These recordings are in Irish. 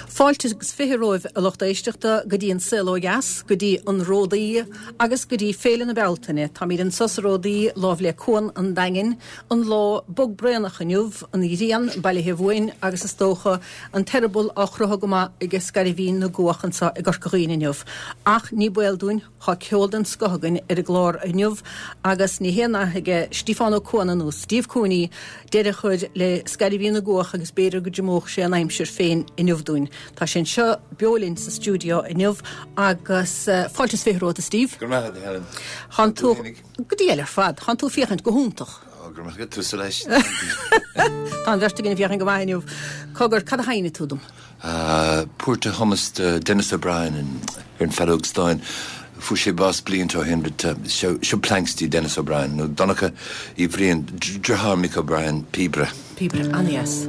Fáilte agus 20 romhaibh a lucht éisteachta go dtí an Saol Ó Dheas, go dtí an Ródaí agus go dtí Féile na Bealtaine. Táimid anso sa Ródaí lámh le Cuan an Daingin, an lá bog braonach inniu, an ghrian bailithe uainn agus is dócha an t-eireaball á chroitheadh go maith ag scairbhín na gcuach anso i gCorca Dhuibhne inniu. Ach ní baol dúinn, Tá ceol den scoth againn ar an gclár inniu agus ní haon nath aige Stíofán Ó Cuana nó Steve Cooney deireadh a chur le scairbhín na gcuach agus b'fhéidir go dtriomódh sé an aimsir féin inniu dúinn. Tá sé anseo beo linn sa stiúideo inniu agus fáilte is 20 romhat a Steve. Go raibh maith agat a Helen. Tánn tú, go diail ar fad, tánn tú ag féachaint go hiontach. Ó, go raibh maith agat, tusa leis. Tá an bheirt againn ag féachaint go maith inniu. Cogar, cad a sheinnfidh tú dom? Port a chumas do Denis O'Brien ar an bhfeadóg stáin. Fuair sé bás blianta ó shin but seo Planxty Denis O'Brien nó Donncha Uí Bhriain, deartháir Mick O'Brien, píobaire. Píobaire an-dheas.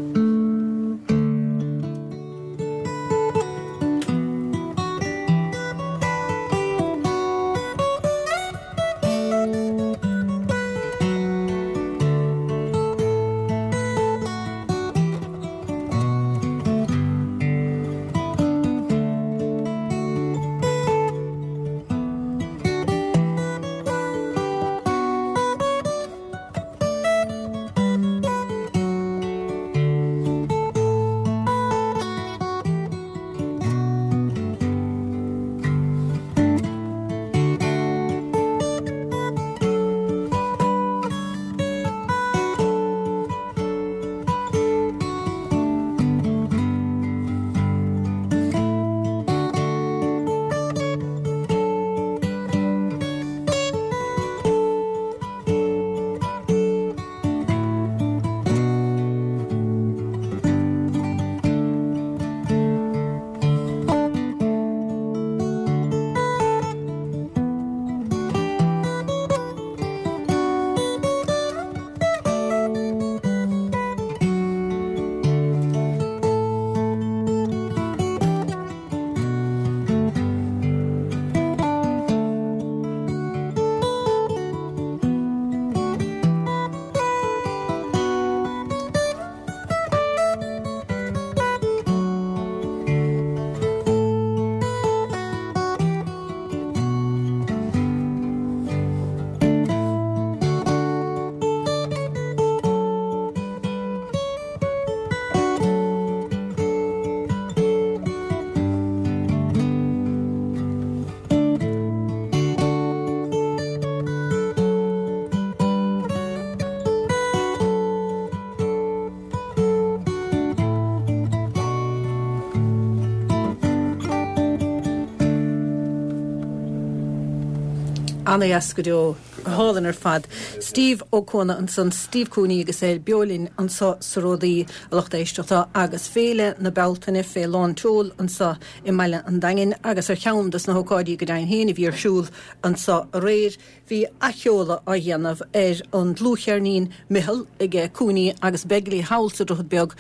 Ana-dheas go deo. Go hálainn ar fad. Steve Ó Cuana ansan, Steve Cooney agus é beo linn anso sa Ródaí, a lucht éisteachta, agus Féile na Bealtaine fé lán tseoil anso i mbaile an Daingin agus ar cheann dos na hócáidí go deimhin féin a bhí ar siúl anso aréir, bhí athsheoladh á dhéanamh ar an dlúthcheirnín Micheal aige Cooney agus Begley thall sa Droichead Beag.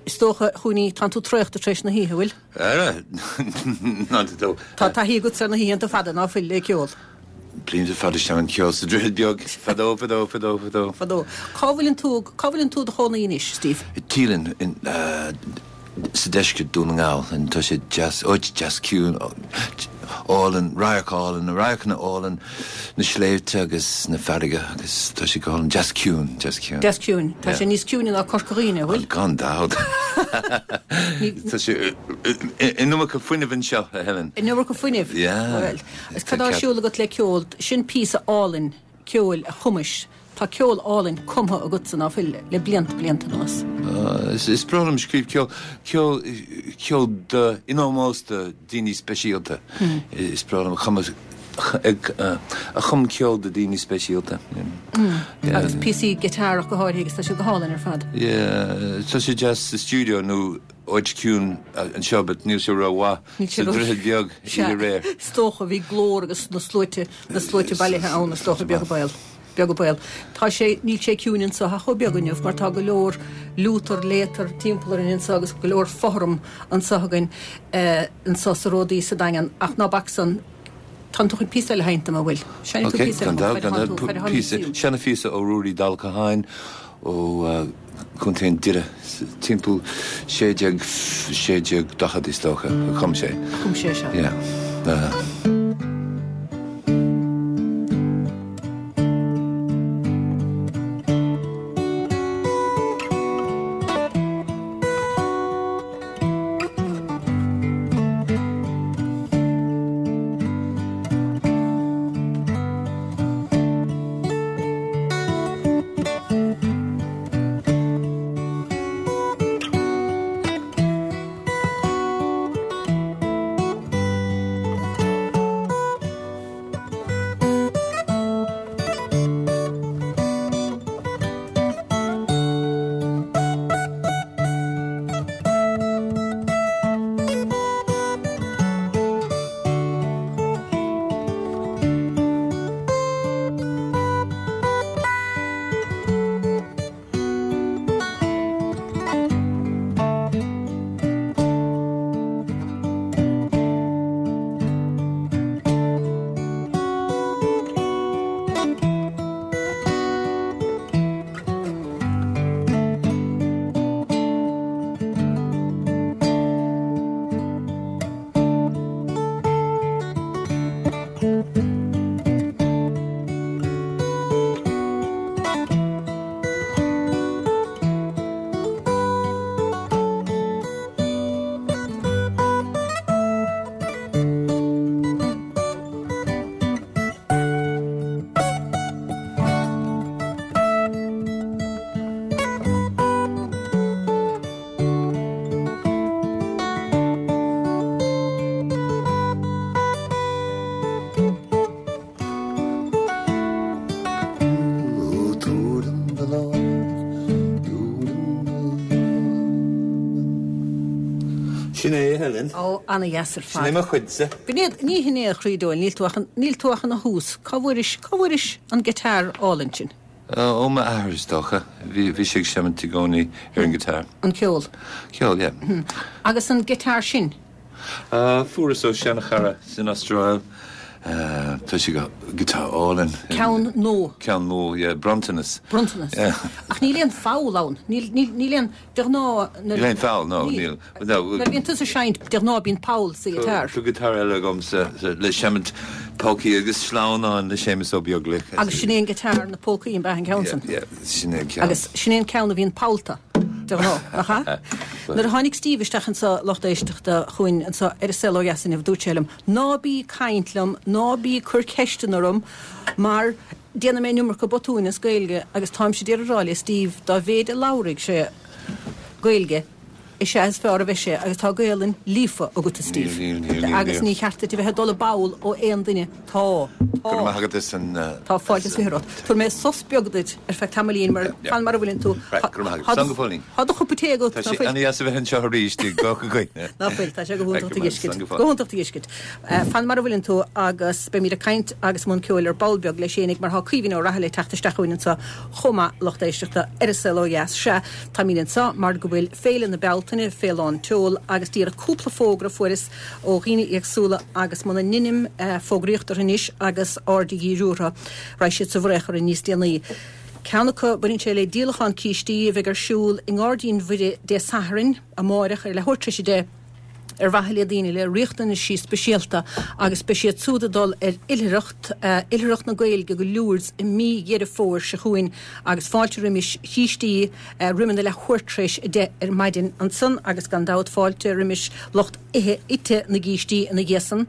Is dócha, a Chooney, tánn tú traochta tar éis na hoíche, bhfuil? Ara, not at all. Tá taithí agatsa ar na hoícheanta fada, ná fuil, le ceol? Blianta fada ag seinm ceoil sa Droichead Beag, fadó, fadó, fadó, fadó. Fadó. Cá bhfuileann tú, cá bhfuileann tú i do chónaí anois, Steve? I Teelin, in, sa deisceart, Dún na nGall. And tá sé deas, áit deas ciúin, álainn, radharc álainn, na radharcanna álainn, na sléibhte agus na farraige agus tá sé go hálainn, deas ciúin, deas ciúin. Deas ciúin. Tá sé níos ciúine ná Corca Dhuibhne, an bhfuil? Gan dabht. Tá sé an iomarca fuinnimh anseo, a Helen. An iomarca fuinnimh? Yeah. Bhuel, agus cad tá ar siúl agat le ceol? Sin píosa álainn ceoil a chumais. Tá ceol álainn cumtha agatsa, ná fuil, le blianta, blianta anuas. Is breá liom scríobh ceol, ceol, ceol do, in ómós do daoine speisialta. Is breá liom a chumadh, a chum ceol do daoine speisialta. Agus píosaí guitar ach go háirithe agus tá siad go hálainn ar fad. Yeah, tá sé deas sa stiúideo nó áit ciúin anseo but níl sé rómhaith sa Droichead Beag oíche aréir. Is dócha, bhí glór agus na sluaite, na sluaite bailithe ann is dócha, beag an baol. Beag an baol. Tá sé, níl sé ciúin anso ach chomh beag inniu mar tá go leor liútar, léatar timpeall orainn anso agus go leor fothram anso againn anso sa Ródaí sa Daingean ach ná bac san, tánn tú chun píosa eile a sheinnt dom, an bhfuil? Seinnfidh tú Ok, píosa eile gan dhom, dabht, gan faid a dabht, thánn tú, faid a thánn píosa, tú. seana phíosa ó Ruairí Dall Catháin ó. Contae an Doire, timpeall 16, 1640 is dócha a chum sé. A chum sé seo. Yeah. Sin é, a Helen. Ó, ana-dheas ar fad. Sin é mo chuidse. B'in iad, ní hin é a chroí dóil, níl tú ach, níl tú ach ina thús. Cá bhfuairis, cá bhfuairis an guitar álainn sin? Ó m'athair is dócha. Bhí, bhí sé ag seimint i gcónaí ar an guitar. An ceol? Ceol, yeah. Agus an guitar sin? Fuaireas ó seanchara san Astráil. Tá sé go guitar álainn. Ceann nua. Ceann nua, yeah. Bronntanas. Bronntanas. Yeah. Ach níl aon pholl ann. Níl, níl, níl aon, de ghnáth. Níl aon pholl, no, níl. Nuair a bhíonn tusa ag seinnt, de ghnáth bíonn poll sa ghiotár. Tá guitar eile agamsa le seimint polcaí agus sleamhnáin le Séamus Ó Beaglaoich. Agus sin é an guitar na polcaí an b'ea an ceann san? Yeah, yeah, sin é an ceann. Agus sin é an ceann a bhíonn pollta. De ghnáth, nach ea? Nuair a tháinig Steve isteach anseo, lucht éisteachta, chugainn anseo ar An Saol Ó Dheas inniu, dúirt sé liom, Ná bí ag caint liom, ná bí ag cur ceisteanna orm, mar déanfaidh mé an iomarca botúin as Gaeilge agus táimse d'iarraidh a rá le Steve, dá mhéid a labhraíonn sé Gaeilge, is ea is fearr a bheidh sé agus tá Gaelainn líofa agat, a Steve. Níl, níl, níl, níl, Agus níl. ní cheart duit a bheith ag dul i bpoll ó aon duine. Tá. Go raibh maith agat as an. Tá fáilte is 20 romhat. Tabharfaidh mé sos beag duit ar feadh tamaillín mar fan mar a bhfuileann tú. Right, go raibh maith agat. Slán go fóillín. Tá do chupa tae agat. Tá sé ana-dheas a bheith anseo arís i gCorca Dhuibhne. Ná fuil, tá sé go hiontach tú a fheiscint. Go hiontach tú a fheiscint. Fan mar a bhfuileann tú agus beimid ag caint agus i mbun ceoil ar ball beag leis fhéinig mar tá Caoimhín Ó Raghallaigh ag teacht isteach chugainn anseo chomh maith, lucht éisteachta ar An Saol Ó Dheas. Sea, táimid anseo mar go bhfuil Féile na Bealtaine fé lán tseoil agus díreach cúpla fógra a fuaireas ó dhaoine éagsúla agus muna ndeinim fógraíocht orthu anois agus aird a dhíriú orthu, raghaidh siad sa bhfraoch orainn níos déanaí. Ceann acu, baineann sé le díolachán cístí a bheidh ar siúl i nGairdín Mhuire Dé Sathairn, amáireach, ar leathuair tar éis 10, ar mhaithe le daoine le riachtanaisí speisialta agus beidh siad súd ag dul ar oilithreacht, Oilithreacht na Gaeilge go Lourdes i mí Dheireadh Fómhair seo chugainn agus fáilte roimis chístí roimh a leathuair tar éis 10 ar maidin ansan agus gan dabht fáilte roimis lucht ithe ite na gcístí ina dhiaidh san.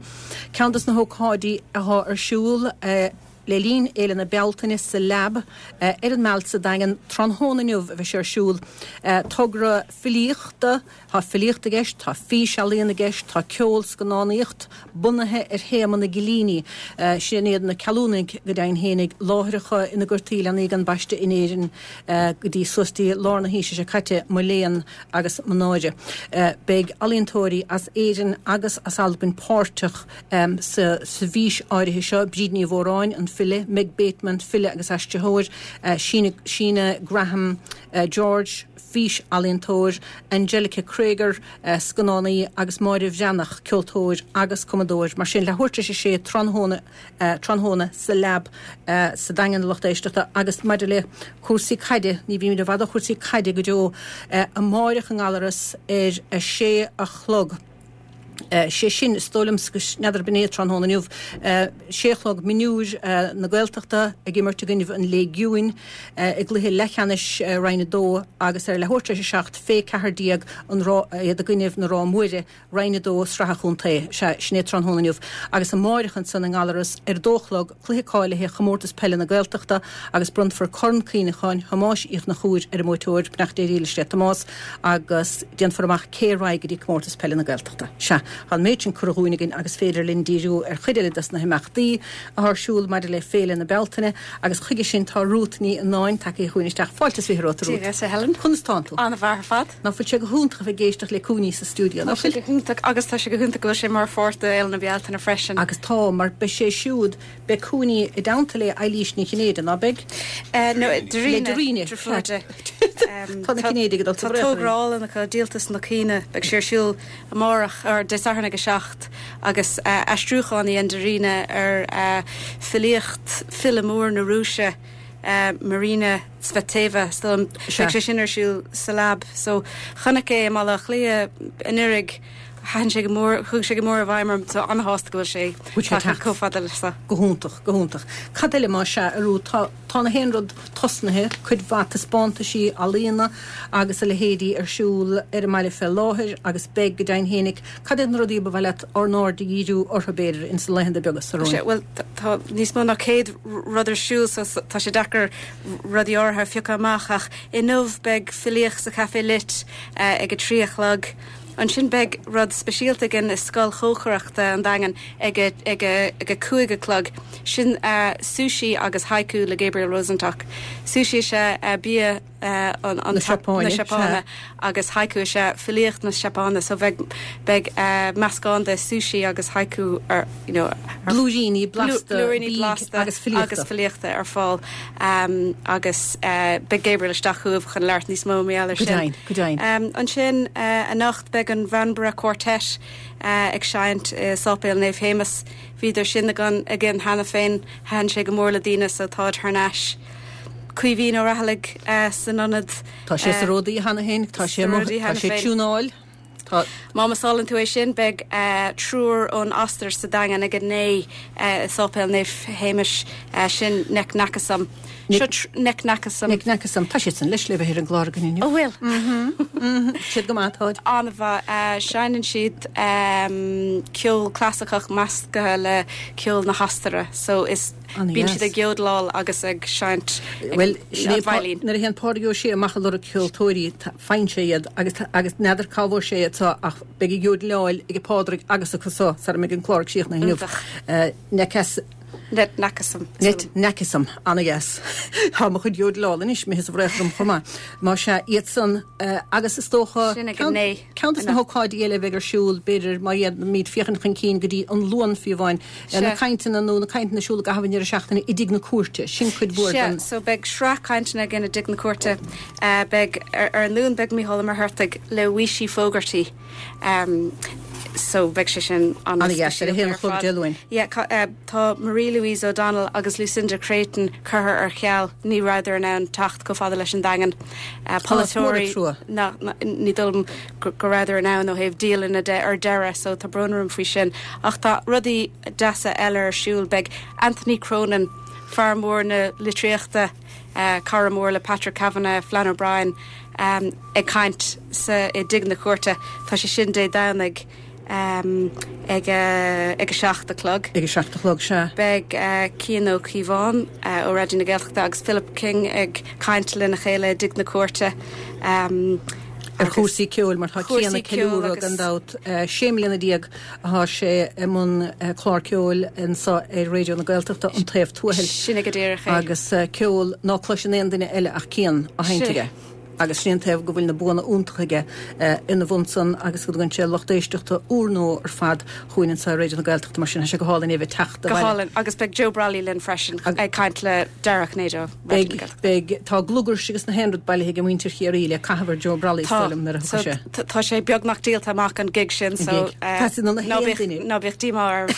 Ceann dos na hócáidí athá ar siúl le linn Fhéile na Bealtaine sa Lab ar an Mealt sa Daingean tráthnóna inniu a bheidh sé ar siúl. Togra filíochta, Tá filíocht i gceist, tá físealaíon i gceist, tá ceol, scannánaíocht, bunaithe ar théama na gcillíní. Sin iad na ceallúnaigh, go deimhin fhéinig, láithreacha ina gcuirtí leanaí gan baisteadh in Éirinn go dtí suas dtí lár na haoise seo caite, mo léan agus mo náire. Beidh ealaíontóirí as Éirinn agus as Albain páirteach sa bhfís áirithe seo, Bríd Ní Mhóráin, an file. file, Meg Bateman, file agus aistritheoir, Síne Graham George, fís-ealaíontóir, Angelika Krieger, scannánaí, agus Máire Bhreathnach, ceoltóir agus cumadóir. Mar sin, leathuair tar éis a sé tráthnóna, tráthnóna sa Lab sa Daingean a lucht éisteachta agus maidir le cúrsaí caide, ní bhímid i bhfad ó chúrsaí caide go deo, amáireach i nGallaras ar a sé a chlog. Sé sin, is dóigh liomsa, n'fheadar ab in é tráthnóna inniu, sé a chlog, Mionúir na Gaeltachta ag imirt i gcoinnibh an Léigiúin i gcluiche leathcheannais Roinn 2 agus ar leathuair tar éis a 7, fé 14, an iad i gcoinnibh na Ráth Mhuire. Roinn 2, Sraith an Chontae. Sea, sin é tráthnóna inniu. Agus amáireach ansan i nGallaras ar a dó a chlog, cluiche cáilithe Chomórtas Peile na Gaeltachta agus bronnfar Corn Cuimhneacháin Thomáis Uí Chonchúir ar an mbuaiteoir, Beannacht Dé Dhílis le Tomás, agus déanfar amach cé a raghaidh go dtí Comórtas Peile na Gaeltachta. Sea, tá an méid sin curtha dhúinn againn agus féidir linn díriú ar chuid eile dos na himeachtaí atá ar siúl maidir le Féile na Bealtaine agus chuige sin tá Rút Ní Annáin tagtha chugainn isteach. Fáilte is 20 romhat, a Rút. Dia dhuit, a Helen. Conas tánn tú? An-mhaith ar fad. Ná fuil sé go hiontach a bheith ag éisteacht le Cooney sa stiúideo, ná fuil? Tá sé go hiontach agus tá sé go hiontach go bhfuil sé mar pháirt de Fhéile na Bealtaine freisin. Agus tá, mar beidh sé siúd, beidh Cooney i dteannta le Eilís Ní Chinnéide, ná beidh? No, Dairena. Le Dairena, Deirfiúr di. Tá na Cinnéidigh ag dul sa Tá togra álainn acu, Díoltas na Caoine, beidh sé ar siúl amárach, or Dé Sathairn ag a 7 agus aistriúchán a dhein Dairena ar filíocht file mór na Rúise, Marina Tsvetaeva so beidh sé sin ar siúl sa Lab. So chonac é i mBaile Átha Cliath anuraidh, thaitin sé go mór, chuaigh sé go mór i bhfeidhm orm so an-shásta go bhfuil sé tagtha chomh fada leis seo. Go hiontach, go hiontach. Cad eile más ea, a Rút, tá, tá na haon rud tosnaithe, cuid mhaith taispeántaisí ealaíona agus a leithéidí ar siúl ar an mbaile fé láthair agus beidh go deimhin fhéinig. Cad iad na rudaí ba mhaith leat ár n-aird a dhíriú orthu, b'fhéidir, ins na laethanta beaga seo romhainn? Bhuel, tá níos mó ná 100 rud ar siúl so tá sé deacair rudaí áirithe a phiocadh amach ach inniu beidh filíocht sa Chaifé Lit ag a 3 a chlog. Ansin beidh rud speisialta againn i Scoil Chócaireachta an Daingin ag a ag a ag a 5 a chlog. Sin sushi agus haiku le Gabriel Rosenstock. Sushi is ea bia na Seapáine agus haiku is ea filíocht na Seapáine so beidh beidh meascán de sushi agus haiku ar you know blúiríní blasta blúiríní blasta agus filíochta agus filíochta ar fáil um, agus uh, beidh Gabriel isteach chugaibh chun labhairt níos mó mar gheall air sin. Go deimhin, go deimhin. Um, ansin uh, anocht beidh an Bhanborough Quartet uh, ag seinnt i Sáipéal Naomh Shéamus. Bhíodar sin againn againn cheana féin, thaitin sé go mór le daoine so táid thar n-ais. Caoimhín Ó Raghallaigh san ionad. Tá sé sa Ródaí cheana féin, tá sé amuigh, tá sé ag tiúnáil. Tá. Má mhiseálann tú é sin, beidh triúr ón Ostair sa Daingean ag a 9 i Sáipéal Naomh Shéamais, sin Neknakasam. Seo Neknakasam. Neknakasam. Tá siad san leis le bheith ar an gclár againn inniu. Ó bhfuil? Siad go maith, táid. An-mhaith. Seinneann siad ceol clasaiceach measctha le ceol na hOstaire so is. Bíonn siad ag jódláil agus ag seinnt Bhuel, sin é an veidhlín. Nuair a théann Pádraig Ó Sé amach ag lorg ceoltóirí, faigheann sé iad agus agus n'fheadar cá bhfuair sé iad seo ach beidh ag jódláil ag Pádraig agus acu seo sara mbeidh an clár críochnaithe inniu. Iontach. Necas. Net Nakasam. Net Nakasam. Ana-dheas. Tá mo chuid jódláil anois imithe sa bhfraoch orm chomh maith. Más ea, iad san agus is dócha Sin ag a naoi. ceann de na hócáidí eile a bheidh ar siúl, b'fhéidir, má dhéanaimid féachaint chun cinn go dtí an Luan fiú amháin, Na cainteanna nó na cainteanna ar siúl i gcaitheamh an deireadh seachtaine i dTigh na Cúirte, sin cuid mhór den. Sea, so beidh sraith cainteanna againn i dTigh na Cúirte. Beidh, ar an Luan beidh Mícheál Ó Muircheartaigh le Weeshie Fogarty. So beidh sé sin an-dheas, ar a haon a chlog Dé Luain. Yeah, tá Marie Louise O'Donnell agus Lucinda Creighton curtha ar ceal, ní rabhadar in ann teacht chomh fada leis an Daingean. Polaiteoirí, ní dóigh liom go rabhadar in ann ó thaobh dialainne de ar deireadh so tá brón orm faoi sin. Ach tá rudaí deasa eile ar siúl. Beidh Anthony Cronin, fear mór na litríochta, cara mór le Patrick Kavanagh, Flann O'Brien, ag caint sa i dTigh na Cúirte. Tá sé sin Dé Domhnaigh. Ag a 7 a chlog. Ag a 7 a chlog, sea. Beidh Cian Ó Cíobháin ó Raidió na Gaeltachta agus Philip King ag caint lena chéile i dTigh na Cúirte. Ar chúrsaí ceoil, mar tá Cian ag ceiliúradh gan dabht. 16 mbliana atá sé i mbun clár ceoil anseo ar Raidió na Gaeltachta, An Taobh Tuathail. Sin é go díreach é. Agus ceol ná cloiseann aon duine eile ach Cian á sheinnt aige. Agus sin é an taobh go bhfuil na buanna iontacha aige ina bhun san agus go dtugann sé lucht éisteachta úrnua ar fad chugainn anseo ar Raidió na Gaeltachta mar sin tá sé go hálainn é a bheith ag teacht abhaile. Go hálainn agus beidh Joe Brolly linn freisin ag caint le Dara Ó Cinnéide ó Raidió na Gaeltachta. Beidh, tá glugairs agus na haon rud bailithe ag muintir Chiarraí le caitheamh ar Joe Brolly is dóigh liom nuair a thiocfaidh sé. Tá sé beagnach díolta amach an gig sin so ná bíodh díomá oraibh.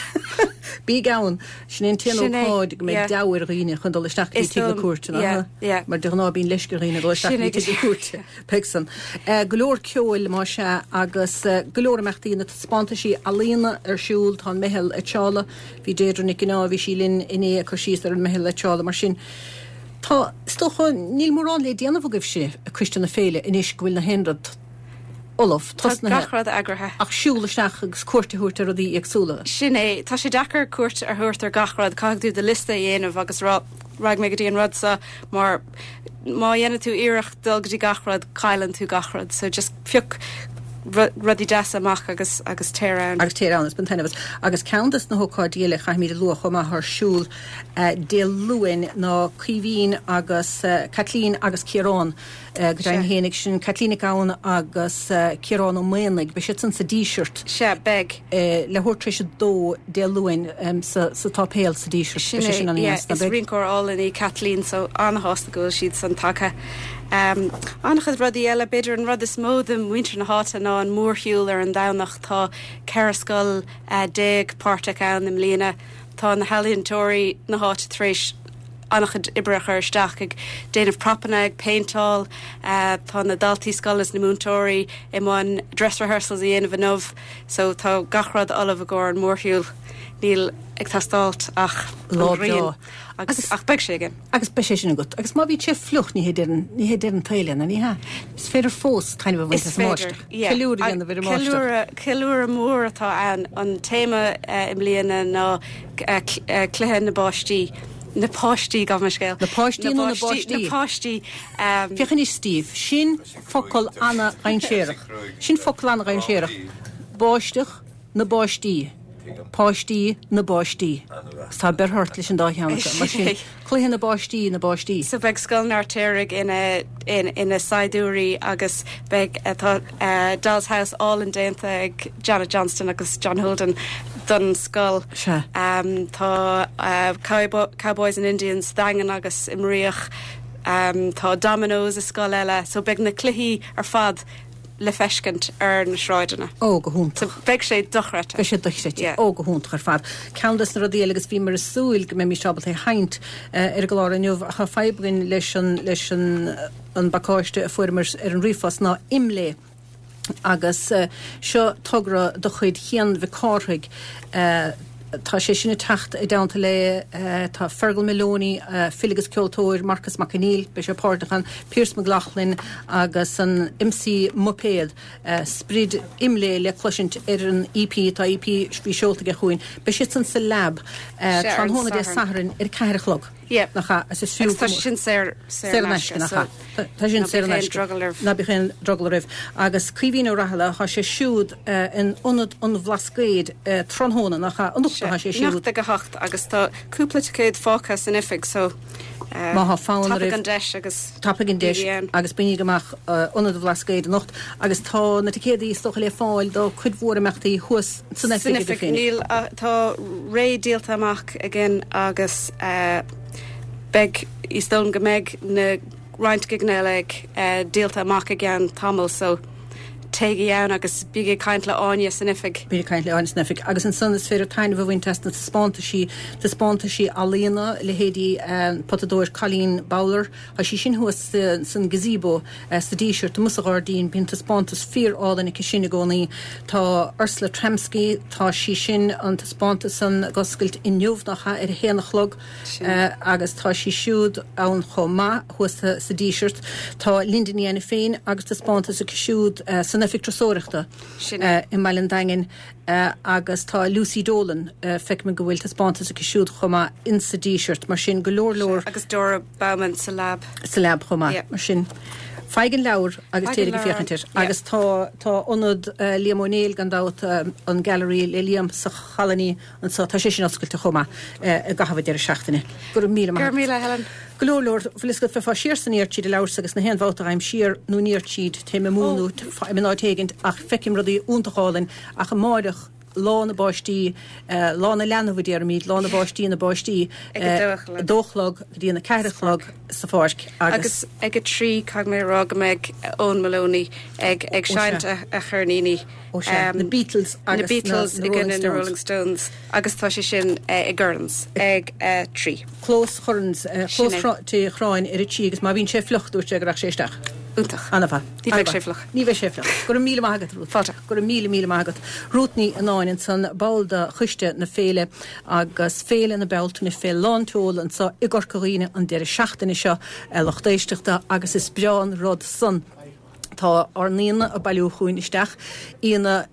Bígí ann! Sin é an t-aon ócáid go mbeidh deabhadh ar dhaoine chun dul isteach go dtí tigh na cúirte, nach ea? Mar de ghnáth bíonn leisce ar dhaoine dul isteach go dtí tigh na cúirte. Beidh san. Go leor ceoil, más ea, agus go leor imeachtaí, na taispeántaisí ealaíona ar siúl, tá an Meitheal Eitseála, bhí Deirdre Nic Cionnáith, bhí sí linn inné ag cur síos ar an Meitheal Eitseála, mar sin tá, is dócha, níl mórán le déanamh agaibhse, Coiste na Féile, anois go bhfuil na haon rud ullamh, Tá tosnaithe. gach rud eagraithe. Ach siúl isteach agus cuairt a thabhairt ar rudaí éagsúla. Sin é. Tá sé deacair cuairt a thabhairt ar gach rud. Caithfidh tú do liosta a dhéanamh agus rá, raghaidh mé go dtí an rud seo mar má dhéanann tú iarracht dul go dtí gach rud, cailleann tú gach rud. So just pioc rudaí deasa amach agus agus téir ann. Agus téir ann, is bain taitneamh as. Agus ceann des na hócáidí eile a chaithfimid a lua chomh maith ar siúl Dé Luain ná Caoimhín agus Caitlín agus Ciarán. Go deimhin fhéinig, sin Caitlín Nic Gabhann agus Ciarán Ó Maonaigh. Beidh siad san sa Díseart. Sea, beidh. Leathuair tar éis a dó Dé Luain sa tSáipéal sa Díseart. Sin é, yeah. Is rinceoir álainn í Caitlín so an-shásta go bhfuil siad san tagtha. An-chuid rudaí eile, b'fhéidir an rud is mó do mhuintir na háite ná an mórshiúl ar an Domhnach. Tá 14 scoil páirteach ann i mbliana. Tá na healaíontóirí na háite tar éis an-chuid oibre a chur isteach ag déanamh propanna, ag péinteáil. Tá na daltaí scoile is na múinteoirí i mbun dress rehearsals a dhéanamh inniu so tá gach rud ullamh i gcomhair an mhórshiúil. Níl ag teastáilt ach an ghrian agus ach beidh sé againn. Agus beidh sé sin agat. Agus má bhíonn sé fliuch, ní hé deireadh, ní hé deireadh an tsaoil é, nó ní hea? Is féidir fós taitneamh a bhaint as an mbáisteach. Ceiliúradh a dhéanamh ar an mbáisteach. Ceiliúradh, ceiliúradh mór atá ann. An téama i mbliana ná cluiche na báistí. Na páistí, gabh mo scéal. Na páistí nó na báistí? Na páistí. Féach anois Steve, sin focal ana-dhainséarach. Sin focal ana-dhainséarach. Báisteach na báistí. Páistí na báistí. Agus tá beirt ort leis an dá cheann acu. Mar sin, cluiche na báistí na báistí. So beidh Scoil an Fheirtéaraigh ina ina saighdiúirí agus beidh tá Doll's House álainn déanta ag Janet Johnston agus John Holden don scoil. Sea. Tá Cowboys and Indians sa Daingean agus i mBríoch. Tá Dominoes i scoil eile. So beidh na cluichí ar fad le feiscint ar na sráideanna. Ó, go hiontach. So beidh sé dochreidte. Beidh sé dochreidte. Yeah. Ó, go hiontach ar fad. Ceann des na rudaí eile agus bhíomar ag súil go mbeimis ábalta é a sheinnt ar an gclár inniu ach tá fadhb againn leis an leis an an bpacáiste a fuaireamar ar an ríomhphost ná IMLÉ agus seo togra de chuid Chian Mhic Cárthaigh. Tá sé sin ag teacht i dteannta le, tá Fergal Moloney, file agus ceoltóir, Marcus Mac Conghail, beidh sé páirteach ann, Pearse McLaughlin agus an MC Muipéad, sprid IMLÉ le cloisint ar an EP, tá EP bhí seolta aige chugainn. Beidh siad san sa Lab tráthnóna Dé Sathairn ar a ceathair a chlog. Yeah. Nach ea? Is is fiú Agus tá sé sin saor, saor in aisce, nach ea? so Tá sin saor in aisce. Ná bíodh aon drogall oraibh. Ná bíodh aon drogall oraibh. Agus Caoimhín Ó Rathaille, tá sé siúd in Ionad an Bhlascaoid tráthnóna, nach ea? Anocht atá sé siúd. Anocht ag a hocht agus tá cúpla ticéad fágtha san oifig so Má tá fonn oraibh. Tapaigh an deis agus Tapaigh an deis agus bainigí amach Ionad an Bhlascaoid anocht agus tá na ticéadaí is dócha le fáil do cuid mhór imeachtaí thuas san oifig agaibh féin. Níl, tá réidh díolta amach againn agus beidh, is dóigh liom go mbeidh na roinnt gigeanna eile ag díolta amach i gceann tamaill so téigí ann agus bígí ag caint le Áine san oifig. Bígí ag caint le Áine san oifig agus ansan is féidir taitneamh a bhaint as na taispeántaisí, taispeántaisí ealaíona, leithéidí an potadóir Colleen Bowler, Tá sí sin thuas san gazebo sa Díseart amuigh sa ghairdín. Bíonn taispeántas fíor álainn aici sin i gcónaí. Tá Ursula Tramsky, tá sí sin, an taispeántas san ag oscailt inniu, nach ea, ar a haon a chlog agus tá sí siúd ann chomh maith thuas sa Díseart. Tá Linda Ní Ainiféin agus taispeántas aici siúd san Oifig Turasóireachta i mBaile an Daingin. Agus tá Lucy Dolan, feicim go bhfuil taispeántas aici siúd chomh maith insa Díseart, mar sin go leor leor. Agus Dora Baumann sa Lab. Sa Lab chomh maith, mar sin. Faigh an leabhar agus téir ag féachaint air. Agus tá tá ionad Liam Ó Néill gan dabht, an Gallery le Liam sa Cholony anseo, tá sé sin oscailte chomh maith i gcaitheamh an deireadh seachtaine. Go raibh míle maith agat. Go raibh míle, Helen. Go leor leor, bhfuil fhios agat, bheifeá siar san iar tríd an leabhar agus na haon bhabhta a ghabhaim siar nó aniar tríd, téim amú nó faighim in áit éigint ach feicim rudaí iontach álainn ach amáireach, Lá na bPáistí, Lá na Leanbh a déarfaimid, Lá na bPáistí na bPáistí, Ag a dó a chlog. a dó a chlog go dtí an 4 a chlog sa pháirc agus. Agus ag a 3 caithfidh mé a rá go mbeidh Eoin Moloney ag ag seinnt a cheirníní. Ó sea, na Beatles agus na Beatles i gcoinne na Rolling Stones agus tá sé sin i gCurran's ag a 3. Clós Churran's, clós Tigh Churráin ar a 3 agus má bhíonn sé fliuch dúirt sé go raghadh sé isteach. Iontach. An-mhaith. Ní bheidh sé fliuch. Ní bheidh sé fliuch. Go raibh míle maith agat, Ruth. Fáilte. Go raibh míle, míle maith agat. Ruth Ní Annáin ansan, ball de choiste na féile agus Féile na Bealtaine fé lán tseoil anso i gCorca Dhuibhne an deireadh seachtaine seo, a lucht éisteachta, agus is breá an rud san. Tá ár n-aíonna ag bailiú chugainn isteach, aíonna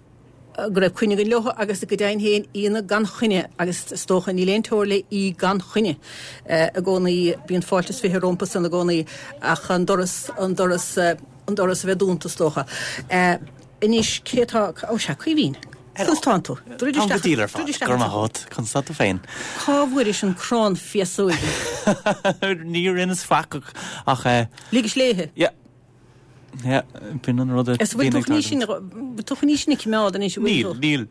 go raibh coinne againn leo agus go deimhin féin aíonna gan choinne agus is dócha níl aon teora le aoi gan choinne i gcónaí. Bíonn fáilte is 20 rompu san i gcónaí ach an doras, an doras, an doras a bheith dúnta is dócha. Anois cé atá, ó sea, Caoimhín, conas tánn tú? Druid isteach, Táim go diail ar fad, go raibh maith agat, conas tá tú féin? Cá bhfuairis an crann féasóige? Ní rinneas faic ach eh. Ligis léithe? Yeah. Yeah, b'in an rud a Is bhfuil tú chun í sin, bhfuil tú chun í sin a choimeád anois, an bhfuil tú? Níl,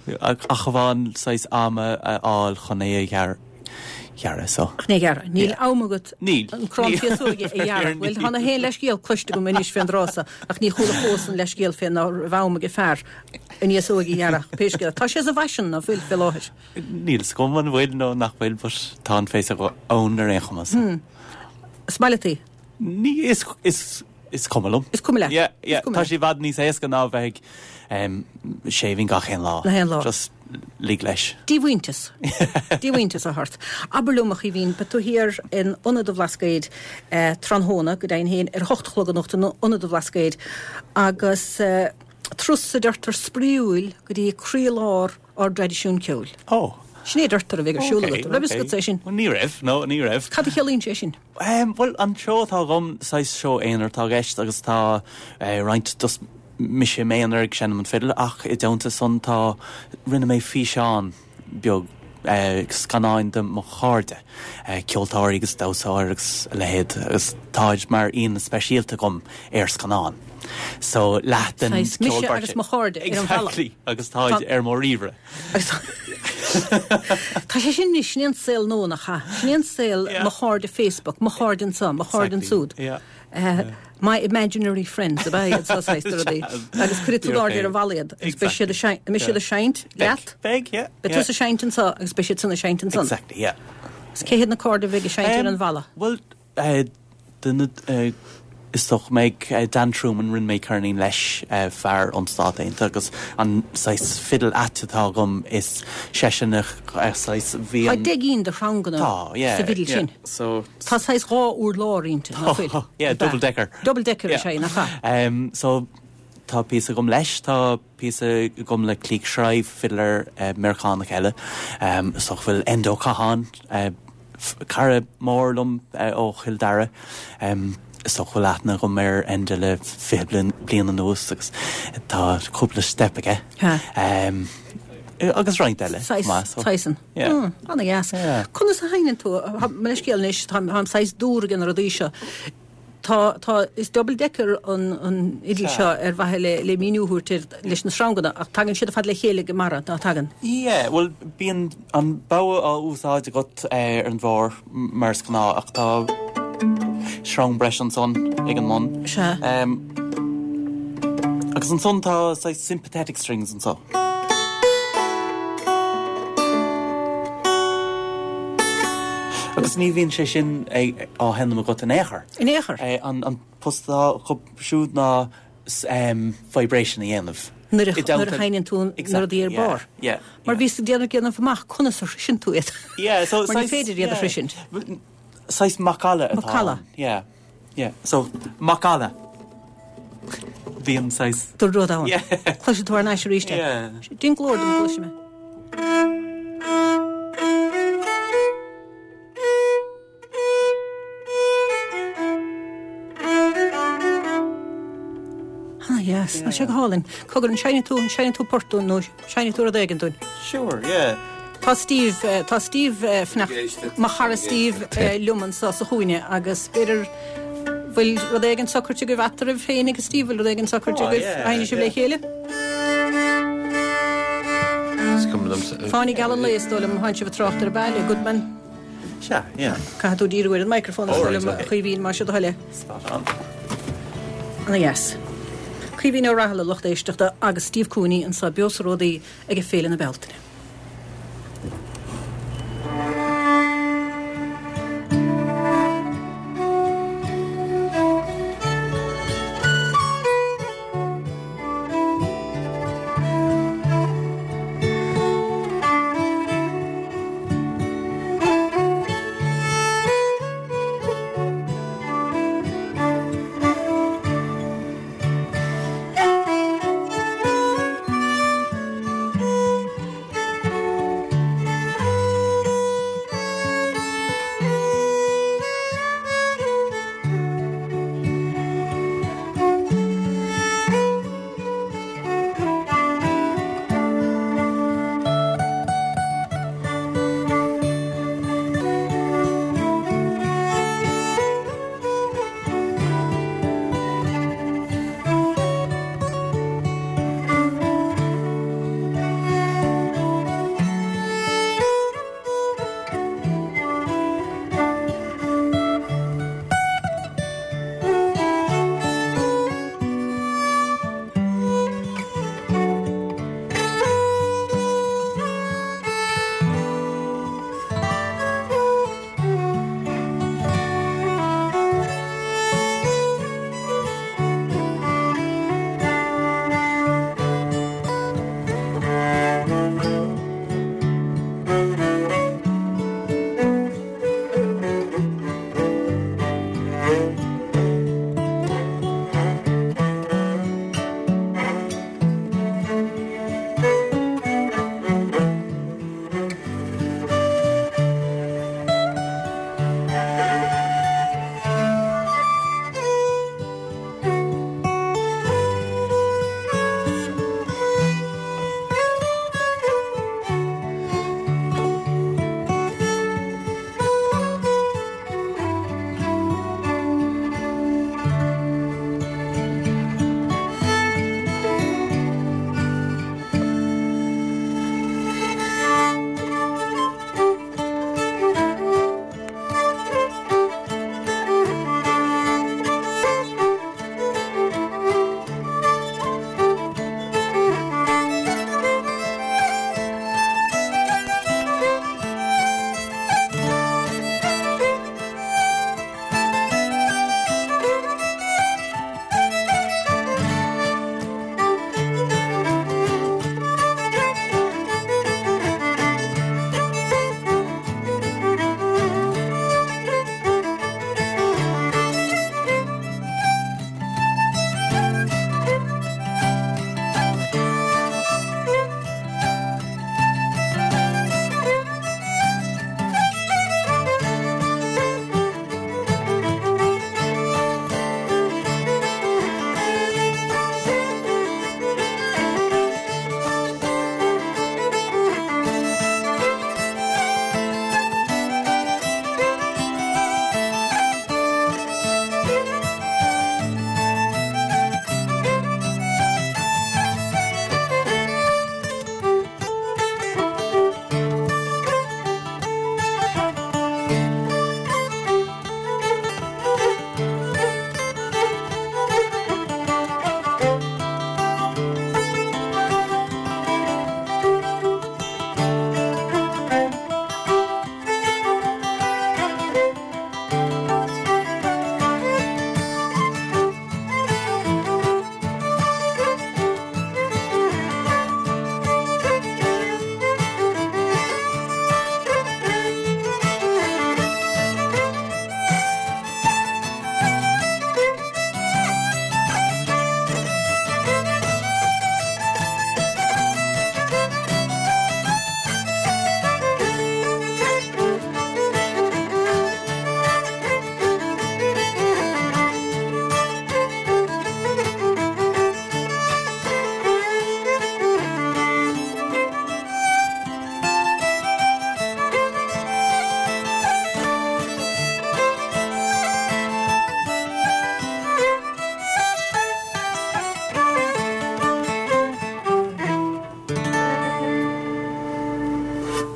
níl. Ach amháin saghas ama a fháil chun é a ghearradh, so. Chun é a ghearradh. Níl am agat Níl. an crann féasóige a ghearradh. Bhuel, tá na haon leithscéal cloiste agam anois fén dtráth so, ach ní chuala fós an leithscéal fé ná raibh am ag fear an fhéasóig a ghearradh, pé scéal. Tá sé sa bhfaisean, ná fuil, fé láthair? Níl 'fhios agam an bhfuil nó nach bhfuil, but tá an féasóg ann ar aon chuma, so. Is maith leat í? Ní, is, is, is cuma liom. Is cuma leat. Yeah, yeah. Tá sé i bhfad níos éasca ná a bheith ag um, shaving gach aon lá. Gach aon lá. Just lig leis. Díomhaointeas. Díomhaointeas a shórt. Abair liom, a Chaoimhín, beidh tú thiar in Ionad an Bhlascaoid eh, tráthnóna, go deimhin féin, ar a hocht a chlog anocht in Ionad an Bhlascaoid agus eh, turas a deirtear spraíúil go dtí croílár ár dtraidisiún ceoil. Ó. Sin é a deirtear a bheidh ar siúl agat. Raibh fhios agat é sin? Ní raibh, no, ní raibh. Cad a chiallaíonn sé sin? Bhuel, an seó atá agam, saghas seó aonair atá i gceist agus tá roinnt just mise i m'aonar ag seinm an fidil ach i dteannta san tá, rinne mé físeán beag, scannáin de mo chairde, ceoltóirí agus damhsóirí agus a leithéid agus táid mar aíonna speisialta agam ar scannán. So leath den Saghas ceol mise agus mo chairde ar an bhalla. Exactly, agus táid ar mo ríomhaire. Tá sé sin anois, sin é an saol nua nach ea? Sin é an saol, mo chairde Facebook, mo chairde anso, mo chairde ansúd. My imaginary friends, ab ea iad seo saghas de rudaí. Agus cuirfidh tú in airde ar an bhalla iad. Agus beidh siad ag seinnt, an mbeidh siad ag seinnt leat? Beidh, yeah. Beidh tusa ag seinnt anso agus beidh siad san ag seinnt ansan. Exactly, yeah. Agus cé hiad na cairde a bheidh ag seinnt ar an bhalla? Bhuel, Duine is dócha go mbeidh Dan Trueman, rinne mé ceirnín leis, fear ón Stát Aontaithe agus an saghas fidil ait atá agam is seisean a saghas bhí an. Tá 10 gcinn de shreanganna sa bhfidil sin. Tá saghas dhá urlár inti, nach bhfuil? Yeah, double decker. Double decker is ea, nach ea? So tá píosa agam leis, tá píosa agam le Cleek Shrive, fiddler Meiriceánach eile. Is dócha go bhfuil Enda Ó Catháin, Cara mór liom ó Chill Dara. Is dócha go bhfuil aithne agam ar Enda le 20 bliain anuas agus tá cúpla steip aige. Agus roinnt eile. Saghas Tyson. Ana-dheas. Conas a sheinneann tú? Mo leithscéal anois, táim saghas dúr ag na rudaí seo. Tá, tá, is double decker an, an fhidil seo ar mhaithe le, le míniú a thabhairt air leis na sreanganna, ach tagann siad ar fad le chéile ag an mbarra, ná tagann? Yeah, bhuel, bíonn an bogha á úsáid agat ar an bharr, mar is gnáth, ach tá sreang breise ansan ag an mbun. Sea. Agus ansan tá saghas sympathetic strings anso. Agus ní bhíonn sé sin á sheinm agat in aon chor. In aon chor. An post atá acu siúd ná vibration a dhéanamh. Nuair a sheinneann tú na rudaí ar barr. Mar bhíos ag déanamh déanamh amach conas a shroiseann tú iad. Mar ní féidir iad a shroisint. Saghas macalla atá ann. Macalla. Yeah. Yeah. So, macalla. Bíonn saghas. De rud ann. Yeah. Cloisfidh tú thar n-ais arís é. Yeah. Déan glór dom go gcloisfidh mé. Tá sé go hálainn. Cogar, an seinnfidh tú, an seinnfidh tú port dúinn nó seinnfidh tú rud éigin dúinn? Sure, yeah. Tá Steve, tá Steve fanacht, mo chara Steve liom anseo sa chúinne agus b'fhéidir bhfuil rud éigin socraithe agaibh eatarthu féin agus Steve, bhfuil rud éigin socraithe agaibh a sheinnfidh sibh le chéile? Is cuma liomsa. Fáinne Geal an Lae is dóigh liom, tánn sibh ag trácht air ab ea, le Goodman. Sea, yeah. Caithfidh tú díriú ar an microphone is dóigh liom, a Chaoimhín, más é do thoil é. Spot on. Ana dheas. Caoimhín Ó Raghallaigh, lucht éisteachta, agus Steve Cooney anseo beo sa Ródaí ag Féile na Bealtaine.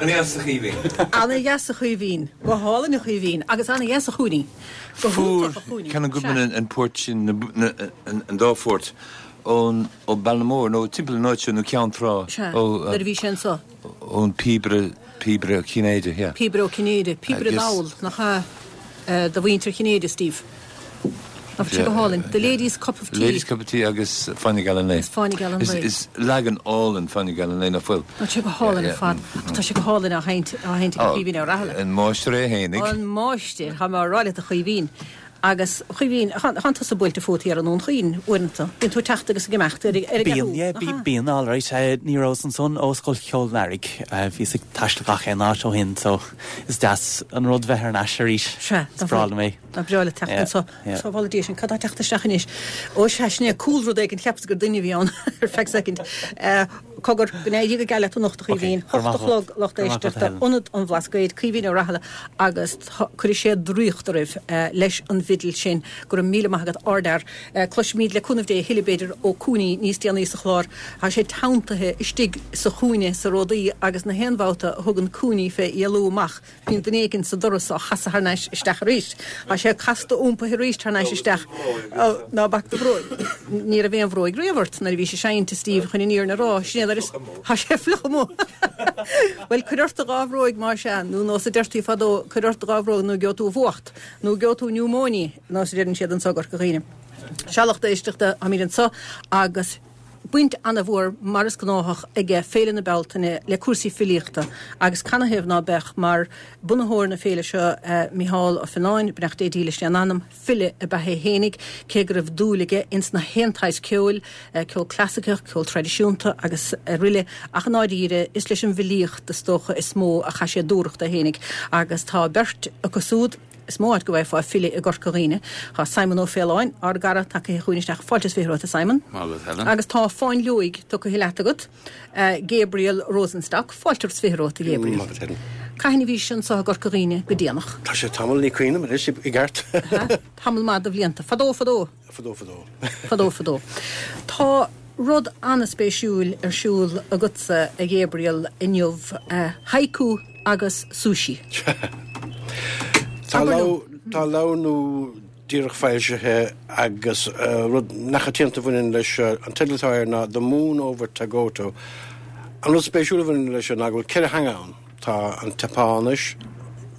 Ana-dheas a Chaoimhín. Ana-dheas a Chaoimhín. Go hálainn a Chaoimhín. Agus ana-dheas a Chúiní. Go Fuair hiontach a Chúiní. Canon Sea. Goodman an port sin, an dá phort, ón, ó Ballinamore nó timpeall an áit seo nó Ceann Trá. Sea. Ó, Nuair a bhí sé anso. ón píobaire, píobaire Ó Cinnéide, yeah. Píobaire Ó Cinnéide. Píobaire Agus. dall, nach ea? Do mhuintir Chinnéide, Steve. Nach bhfuil sé go hálainn? The Ladies Cup of Tea. Ladies Cup of Tea agus Fáinne Geal an Lae. Agus Fáinne Geal an Lae. Is leagan álainn Fáinne Geal an Lae, nach bhfuil? Tá sé go hálainn ar fad. Ach tá sé go hálainn á sheinnt, á sheinnt ag Caoimhín Ó Raghallaigh. An máistir é fhéinig. An máistir, tá mé á rá leat a Chaoimhín. Agus, a Chaoimhín, tánn tusa buailte fút thiar i nDún Chaoin, uaireanta. Bíonn tú ag teacht agus ag imeacht ar an Bíonn, gceathrú, yeah, nach ea? bíonn, alright. Ní rabhas ansan ó Scoil Cheoil an Earraigh. Bhíos ag taisteal gach aon áit ó shin, so is deas an rud bheith thar n-ais arís. Sea, Is breá liom é. Nach breá leat teacht anso. Sábhála Dia sinn, cad tá ag teacht isteach anois? Ó sea, sin é cúl rud éigin, cheapas gur duine a bhí ann ar feadh soicind. Cogar, go n-éirí go geal leat anocht a Chaoimhín. 8 a chlog, lucht éisteachta, Ionad an Bhlascaoid, Caoimhín Ó Raghallaigh agus cuirfidh sé draíocht oraibh leis an bhfidil sin. Go raibh míle maith agat, ardfhear. Cloisfimid le cúnamh Dé a thuilleadh b'fhéidir ó Coonie níos déanaí sa chlár. Tá sé teanntaithe istigh sa chúinne sa Ródaí agus na haon bhabhta a thugann Coonie fé éalú amach Bíonn duine éigin sa doras á chasadh thar n-ais isteach arís. Tá sé casta iompaithe arís thar n-ais isteach. Ó, ná bac do bhróig. Ní raibh aon bhróig riamh ort nuair a bhís ag seinnt, a Steve, chun an fhírinne a rá. Sin é nuair is. Tá sé fliuch amuigh. Bhuel, cuir ort do dhá bhróig más ea, nó nós a deirtí fadó, cuir ort do dhá bhróg nó gheobhaidh tú an fhuacht, nó gheobhaidh tú niúmóine, nós a deireann siad anso i gCorca Dhuibhne. Sea, lucht éisteachta, táimid anso agus. Baint ana-mhór, mar is gnáthach, aige Féile na Bealtaine le cúrsaí filíochta agus canathaobh ná beadh, mar bunaitheoir na féile seo, Micheál Ó Fionnáin, beannacht Dé dílis lena anam, file ab ea é fhéinig, cé go raibh dúil aige ins na haon tsaghas ceoil, ceol clasaiceach, ceol traidisiúnta agus aroile, ach i ndáiríre, is leis an bhfilíocht, is dócha, is mó a chaith sé dúthracht é fhéinig agus tá beirt acu súd, Is mó áit go bhfaighfeá file i gCorca Dhuibhne. Tá Simon Ó Faoláin, ár gcara, tagaithe chugainn isteach. Fáilte is 20 romhat, a Simon. Maith agat, Helen. Agus tá fáinleoig tugtha leat agat, Gabriel Rosenstock. Fáilte is 20 romhat, a Ghabriel. Maith agat, Helen. Cathain a bhís anso i gCorca Dhuibhne go déanach? Tá sé tamall, ní cuimhin liom anois i gceart. Tamall maith de bhlianta. Fadó, fadó. Fadó, fadó. Fadó, fadó. Tá rud an-spéisiúil ar siúl agatsa, a Ghabriel, inniu, haiku agus sushi. Tá leabhar nua díreach foilsithe agus rud neamhchoitianta a bhaineann leis seo, an teideal atá air ná The Moon Over Tagoto. An rud spéisiúil a bhaineann leis seo ná go bhfuil 4 theanga ann. Tá an tSeapáinis,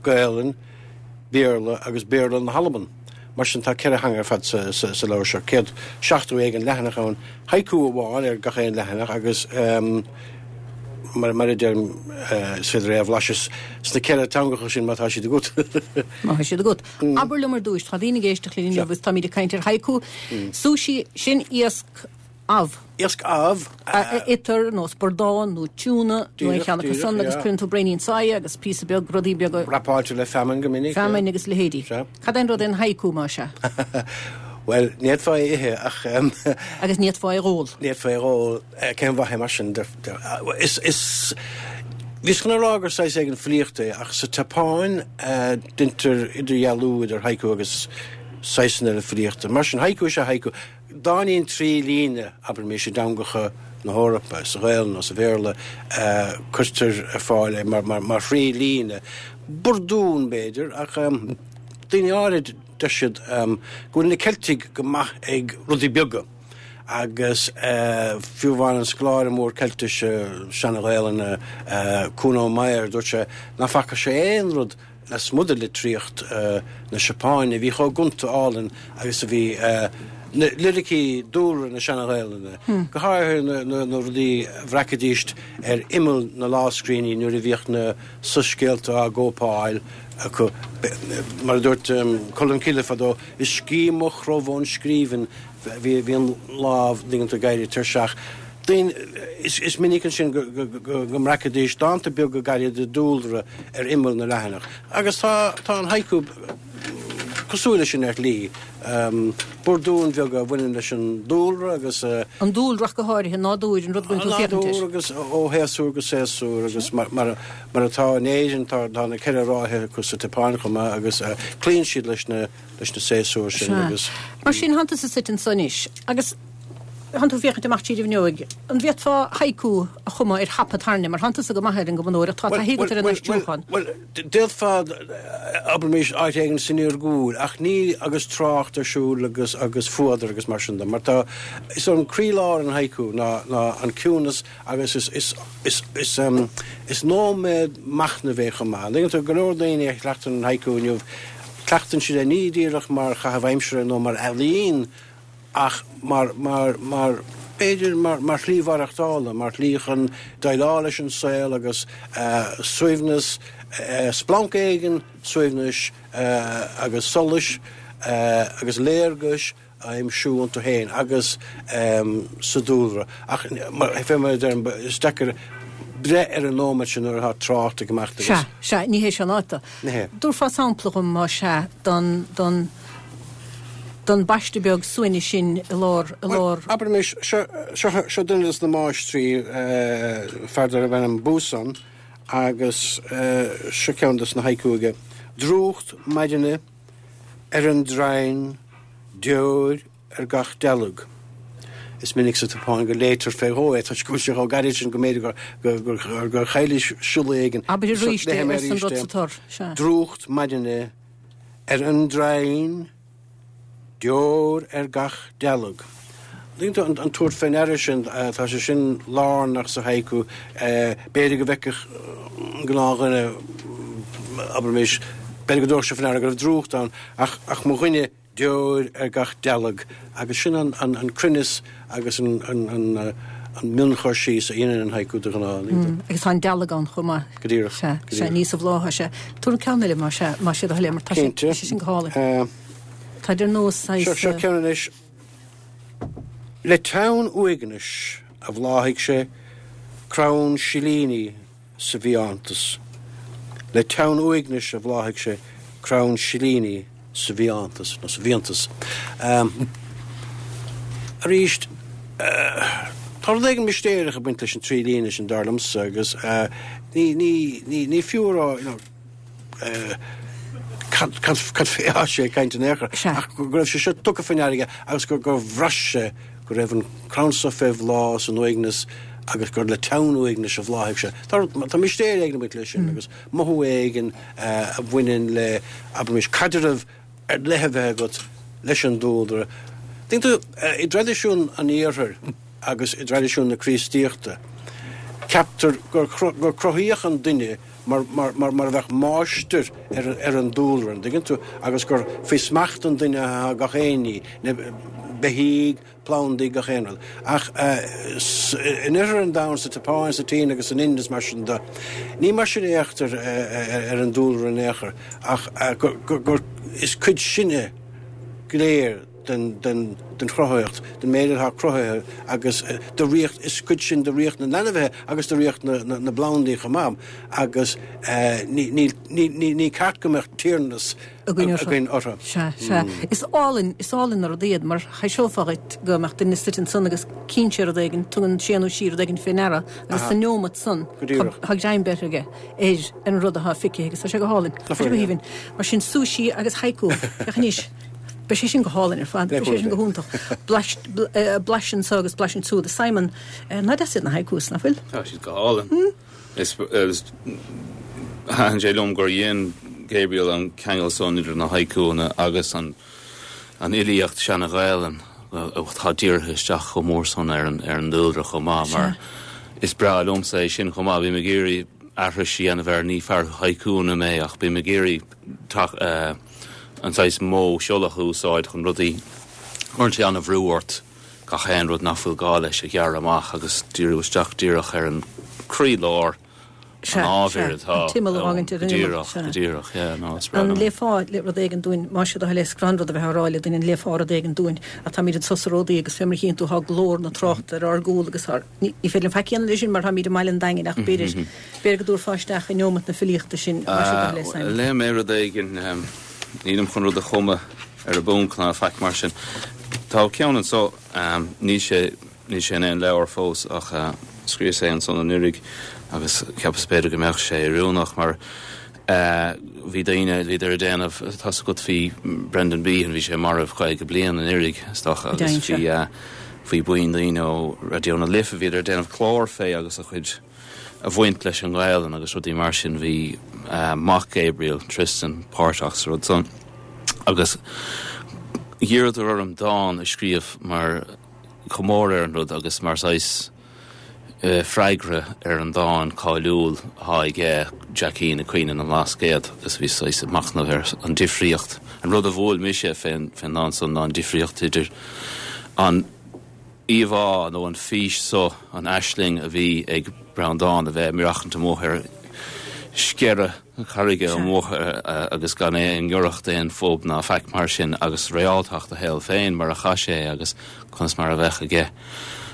Gaelainn, Béarla agus Béarla na hAlban. Mar sin tá 4 theanga ar fad sa leabhar seo, 170 éigin leathanach ann, haiku amháin ar gach aon leathanach agus mar a deirim is féidir é a bhlaiseadh sna ceithre teangacha sin má tá siad agat. Má tá siad agat. Abair liom ar dtúis, tá daoine ag éisteacht linn inniu agus táimid ag caint ar haiku, sushi, sin iasc amh. Iasc amh. A itear nós bradán nó tiúna nó aon cheann acu san agus cuireann tú braoinín soighe agus píosa beag, rudaí beaga. Wrapáilte le feamainn go minic. Feamainn agus leithéidí. Sea. Cad é an rud é an haiku más ea? Bhuel, ní fhéadfá é a ithe ach. Agus ní fhéadfá é a dh'ól. Ní fhéadfá é a dh'ól. Cén mhaith é mar sin? Is, is, bhíos chun a rá gur saghas éigin filíochta é ach sa tSeapáin deintear idirdhealú idir haiku agus saghsanna eile filíochta. Mar sin, haiku is ea haiku. Dáinín 3 líne, abraimis, i dteangacha na hEorpa, sa Ghaelainn nó sa Bhéarla, cuirtear ar fáil é mar thrí líne. Burdún, b'fhéidir, ach daoine áirid, deir siad go bhfuil na Ceiltigh go maith ag rudaí beaga agus fiú amháin an scoláire mór Ceiltise, Seana-Ghaelainne, Kuno Meyer, dúirt sé nach bhfaca sé aon rud lasmuigh de litríocht na Seapáine a bhí chomh gonta álainn agus a bhí na liricí dúlra na Seana-Ghaelainne, go háirithe na rudaí a bhreacaidíst ar imeall na lámhscríbhinní nuair a bhíodh na soiscéalta á gcóipeáil acu. Mar a dúirt Colmcille fadó, Is scíth mo chrobh ón scríbhinn Bhí an lámh dinganta ag éirí tuirseach. Daoine, is minic ansin go mbreacaidís dánta beaga gairide dúlra ar imeall na leathanach. Agus tá tá an haiku cosúil leis sin ar shlí. Burdúin bheaga a bhaineann leis an dúlra agus. An dúlra ach go háirithe, nádúr, an rud go bhfuil tú féachaint air. Nádúr agus ó shéasúr go séasúr agus mar atá in Éirinn tá na ceithre ráithe acu sa tSeapáin chomh maith agus cloíonn siad leis na leis na séasúir sin Sea. agus. Mar sin, tánn tusa suite anso anois agus. Tánn tú ag féachaint amach tríd an bhfuinneoig, an bhféadfá haiku a chumadh ar hapa tairne, mar tánn tusa go maith ar an gcumadóireacht, tá taithí agat ar an aistriúchán. Bhuel, d'fhéadfá, abraimis, áit éigin san iargúil, ach ní agus trácht ar siúl agus agus fuadar agus mar sin de, mar tá, is an croílár an haiku ná ná an ciúnas agus is is is is is nóiméad machnaimh é chomh maith. An dtuigeann tú, go leor daoine a chleachtann an haiku inniu, cleachtann siad é ní díreach mar chaitheamh aimsire nó mar ealaín, ach mar, mar, mar, b'fhéidir, mar, mar shlí mhaireachtála, mar shlí chun déileáil leis an saol agus suaimhneas, splanc éigin suaimhnis agus solais agus léargais a aimsiú iontu féin agus sa dúlra. Ach, mar, fé mar a deirim, is deacair breith ar an nóiméad sin nuair atá trácht ag imeacht agus. Sea, sea, ní hé seo an áit dó. Ní hé. Tabharfá sampla dhom, más ea, don, don, don bpaiste beag suaimhnis sin i lár, i lár. Bhuel, abraimis, seo, seo, seo duine des na máistrí, fear darbh ainm Buson, agus seo ceann des na haiku aige, Drúcht maidine ar an draighean, deoir ar gach dealg. Is minic sa tSeapáin go léitear fé dhó é toisc go bhfuil sé chomh gairid sin go mb'fhéidir gur, gur, gur chaillis siolla éigin. Abair arís é, arsa an rud sa tor. Sea. Drúcht maidine ar an draighean, deoir ar gach dealg. An dtuigeann tú, an tabhairt fé ndeara sin, tá sé sin lárnach sa haiku. B'fhéidir go bhfeicfeadh an gnáthdhuine, abraimis, b'fhéidir go dtabharfadh sé fé ndeara go raibh drúcht ann, ach, ach mo dhuine, deoir ar gach dealg agus sin an cruinneas agus an mionchur síos a dhéanann an haiku de ghnáth. Agus tá an dealg ann chomh maith. Go díreach. Sea, sea, ní sa bhláth atá sé. Tabhair an ceann eile más ea, más é do thoil é mar tá sé sin go hálainn. Tá ar nós saghas. Seo ceann anois. Le teann uaignis a bhláthaigh sé crann silíní sa bhfiántas. Le teann uaignis a bhláthaigh sé crann silíní sa bhfiántas, nó sa bhfiántas. Arís, tá rud éigin mistéireach ag baint leis an trí líne sin, dar liomsa, agus ní, ní, ní, ní fiú a rá, you know, cad, cad, cad fé atá sé ag caint in aon chor, ach go raibh sé seo tugtha faoi ndeara aige agus gur, gur bhraith sé go raibh an crann seo fé bhláth san uaigneas agus gur le teann uaignis a bhláthaigh sé. Tá, tá mistéir éigin ag baint leis sin agus mothú éigin a bhaineann le, abraimis, caidreamh ar leith a bheith agat leis an dúlra. Tuigeann tú, i dtraidisiún an Iarthair agus i dtraidisiún na Críostaíochta, ceaptar gur, gur cruthaíodh an duine mar, mar, mar, mar a bheadh máistir ar, ar an dúlra, an dtuigeann tú, agus gur faoi smacht an duine atá gach aon ní, na beithígh, plandaí, gach aon rud. Ach in oirthear an domhain, sa tSeapáin, sa tSín agus san Ind is mar sin de, ní mar sin a fhéachtar ar an dúlra in aon chor, ach gur, gur, gur, is cuid sinne go léir den, den, den chruthaitheacht, den méid atá cruthaithe agus de ríocht, is cuid sinn de ríocht na n-ainmhithe agus de ríocht na, na, na bplandaí chomh maith agus ní, ní, ní, ní, ní ceart go mbeadh tiarnas againn orthu. Sea, sea. Is álainn, is álainn an rud iad mar thaibhseofá dhuit go mbeadh duine suite ansan agus cíonn sé rud éigin, tugann sé nó sí rud éigin fé ndeara agus sa neomat san tá greim beirthe aige ar an rud atá feicthe agus tá sé go hálainn. Tá sé go haoibhinn. Mar sin sushi agus haiku. Féach anois. Beidh sé sin go hálainn ar fad. Beidh sé sin go hiontach. Blais, blais anso agus blais ansiúd. Simon, nach deas iad na haikus, nach bhfuil? Tá siad go hálainn. Is thaitin sé liom gur dhein Gabriel an ceangal san idir na haikuanna agus an fhilíocht seana-Ghaelainn atá dírithe isteach chomh mór san ar an dúlra chomh maith mar is breá liomsa é sin chomh maith. Bím ag iarraidh aithris a dhéanamh air, ní fear haikuanna mé ach bím ag iarraidh an saghas modh siollach a úsáid chun rudaí, cuireann sé an-bhrú ort. gach aon rud nach bhfuil gá leis a ghearradh amach agus díriú isteach díreach ar an croílár an ábhair atá an t-imeall a fhágaint ar an imeall. Go díreach, go díreach, yeah, no, is breá liom. An léifeá rud éigin dúinn, más é do thoil é, is gnáthrud a bheith á rá le duine, an léifeá rud éigin dúinn, ach táimid anso sa Ródaí agus fé mar a chíonn tú tá glór na tráchta ar ár gcúl agus ár, ní féidir linn faic a dhéanamh leis sin mar táimid i mbaile an Daingin ach b'fhéidir, b'fhéidir go dtabharfá isteach i neomat na filíochta sinn, más é do thoil é, Simon. Léifidh mé rud éigin, nílim chun rud a chumadh ar an bponc ná faic mar sin. Tá ceann anso, níl sé, níl sé in aon leabhar fós ach scríos é ansan anuraidh agus cheapas b'fhéidir go mbeadh sé oiriúnach mar bhí daoine, bhíodar ag déanamh, tá's agat bhí Brendan Behan, bhí sé marbh 50 bliain anuraidh is dócha agus bhí. Bhí buíon daoine ó Raidió na Life, bhíodar ag déanamh clár fé agus a chuid, a bhaint leis an nGaelainn agus rudaí mar sin. Bhí mac Gabriel, Tristan, páirteach sa rud san. Agus dh'iarradar orm dán a scríobh mar chomóradh ar an rud agus mar saghas freagra ar an dán cáiliúil atá aige, Jackín ag Caoineadh na mBlascaod, agus bhí saghas ag machnamh ar an difríocht. An rud a bhuail mise fén ndán san ná an difríocht idir an íomhá nó an fís so, an aisling a bhí ag Breandán a bheith ag maireachtaint amuigh ar sceire carraige amuigh agus gan é i ngiorracht aon phub ná faic mar sin agus réaltacht a shaol féin mar a chaith sé é agus conas mar a bheadh aige.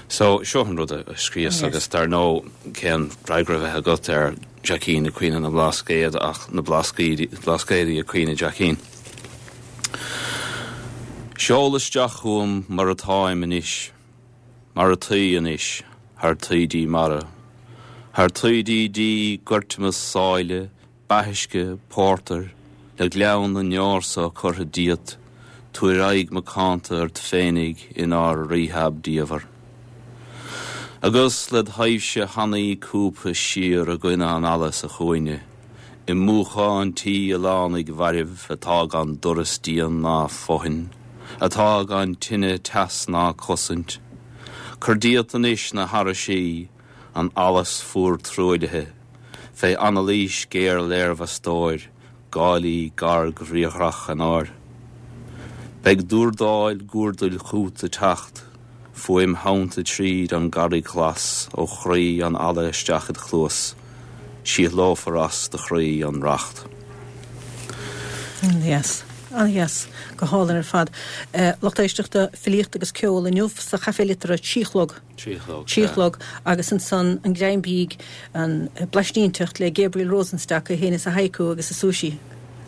So, seo an rud a scríos agus dar ndóigh cén freagra a bheadh agat ar Jackín ag Caoineadh na mBlascaod ach na Blascaodaí ag caoineadh Jackín. Seol isteach chugam mar atáim anois. Mar ataoi anois, thar taoidí mara, Thar taoidí dí goirteamas sáile, Beathuisce, pórtar, le gleann na ndeor so curtha díot, Tabhair aghaidh macánta ort féinig inár rehab diamhair. Agus led thaibhse thanaí cúbtha siar i gcoinne an fhalla sa chúinne, I múchán tí oileánaigh mhairbh atá gan doras díon ná fothain, atá gan tine, teas ná cosaint. Cuir díot anois na haraisí, an allas fuar truaillithe, fé anailís géar léirmheastóir, gálaí garg-bhriathrach Eanáir. Beidh dúrdáil guardail chút ag teacht, fuaim thonnta tríd an gcarraig ghlas ó chroí an fhalla isteach id chluas, síothlófar as do chroí an racht. An-dheas. An-dheas. Go hálainn ar fad. Lucht éisteachta, filíocht agus ceol inniu sa Chaifé Liteartha, trí chlog. Trí chlog, sea. chlog agus ansan an greim bídh, an blaistínteacht le Gabriel Rosenstock, é féin is a haiku agus a sushi.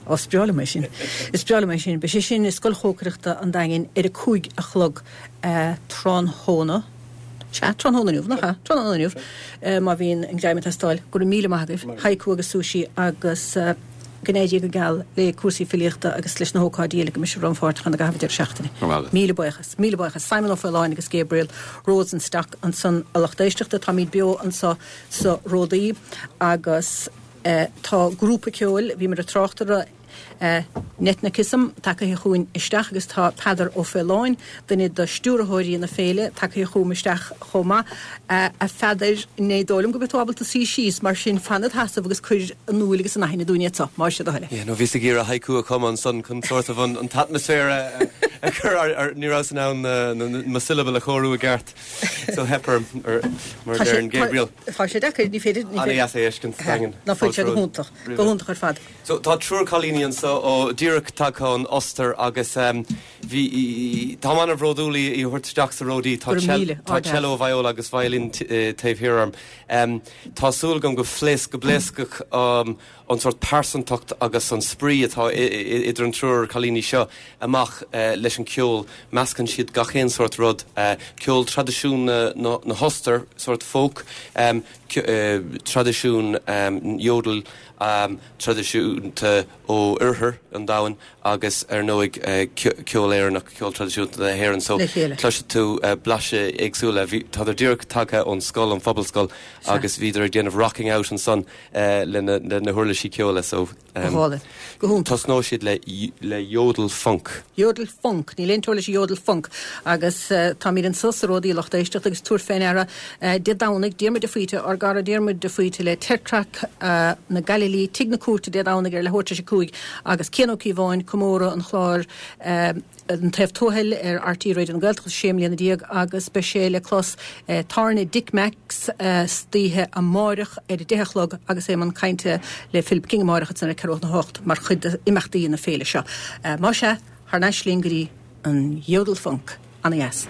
Ó, is breá liom é sin. Is breá liom é sin. Beidh sé sin i Scoil Chócaireachta an Daingin ar a 5 a chlog tráthnóna. Sea, tráthnóna inniu, nach ea? Tráthnóna inniu, má bhíonn an greim ag teastáil. Go raibh míle maith agaibh. Haiku agus sushi agus. Go n-éirí go geal le cúrsaí filíochta agus leis na hócáidí eile go mbeidh sibh rannpháirteach ann i gcaitheamh an deireadh seachtaine. Go raibh maith agat. Míle buíochas. Míle buíochas. Simon Ó Faoláin agus Gabriel Rosenstock ansan a lucht éisteachta. Táimid beo anso sa Ródaí agus tá grúpa ceoil, bhíomar ag trácht orthu, Netnicism, tagaithe chugainn isteach agus tá Peadar Ó Faoláin, duine de stiúrthóirí na féile, tagaithe chugam isteach chomh maith. A Pheadair, ní dóigh liom go mbeidh tú ábalta suí síos, mar sin fan id sheasamh agus cuir in iúl agus in aithne dúinn iad seo, más é do thoil é. Yeah, no, bhíos ag iarraidh haiku a chumadh ansan chun sort of an t-atmaisféar a chur ar, ní rabhas in ann mo syllable a chóiriú i gceart. So theip orm, mar a deireann Gabriel. Tá sé deacair, ní féidir, ní féidir. An-dheas é a fheiscint sa Daingean. Ná fuil sé go hiontach, go hiontach ar fad. So tá triúr cailíní anso ó díreach tagtha ón Ostair agus bhí, táim an-bhródúil í a thabhairt isteach sa Ródaí. Tá tá cello, viola agus violin taobh thiar orm. Tá súil agam go phléasc, go bpléascfadh an sórt pearsantacht agus an spraoi atá idir an triúr cailíní seo amach leis an ceol. Meascann siad gach aon sórt rud, ceol traidisiún na hOstair, sórt folk, traidisiún yodel, traidisiúnta ó oirthear an domhain agus ar ndóigh ceol Éireannach, ceol traidisiúnta na hÉireann. So cloisfidh tú blaiseadh éagsúla. Bhí, tádar díreach tagtha ón scoil, an Phobalscoil agus bhíodar ag déanamh rocking out ansan le na huirlisí ceoil. So Go hálainn. Go hiontach. Tosnóidh siad le le yodel funk. Yodel funk. Níl aon teora leis an yodel funk. Agus táimid anso sa Ródaí lucht éisteachta agus tabhair fé ndeara Dé Domhnaigh, Diarmuid de Faoite, ár gcara Diarmuid de Faoite le Teirtreac na Gaililí, Tigh na Cúirte Dé Domhnaigh ar leathuair tar éis a 5 agus Cian Ó Cíobháin, comóradh an chláir An Taobh Tuathail ar RTÉ Raidió na Gaeltachta, 16 mbliana agus beidh sé le clos i dtábhairne Dick Mack's istoíche amáireach ar a 10 a chlog agus é i mbun cainte le Philip King amáireach ansan ar ceathrú chun a hocht mar chuid d'imeachtaí na féile seo. Más ea, thar n-ais linn go dtí an Yodel Funk. Ana-dheas.